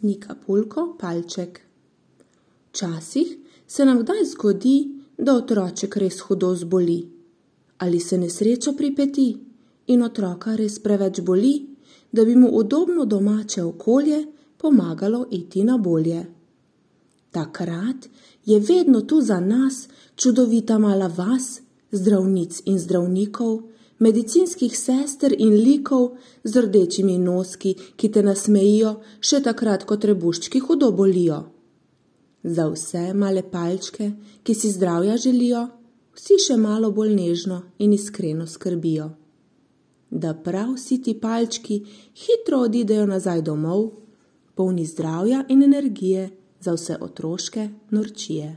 Nika Pulko palček. Včasih se nam kdaj zgodi, da otroček res hudo zboli. Ali se nesreča pripeti in otroka res preveč boli, da bi mu udobno domače okolje pomagalo iti na bolje. Takrat je vedno tu za nas čudovita mala vas, zdravnic in zdravnikov, medicinskih sester in likov z rdečimi noski, ki te nasmejijo še takrat, ko trebuščki hudo bolijo. Za vse male palčke, ki si zdravja želijo, vsi še malo bolj nežno in iskreno skrbijo. Da prav vsi ti palčki hitro odidejo nazaj domov, polni zdravja in energije za vse otroške norčije.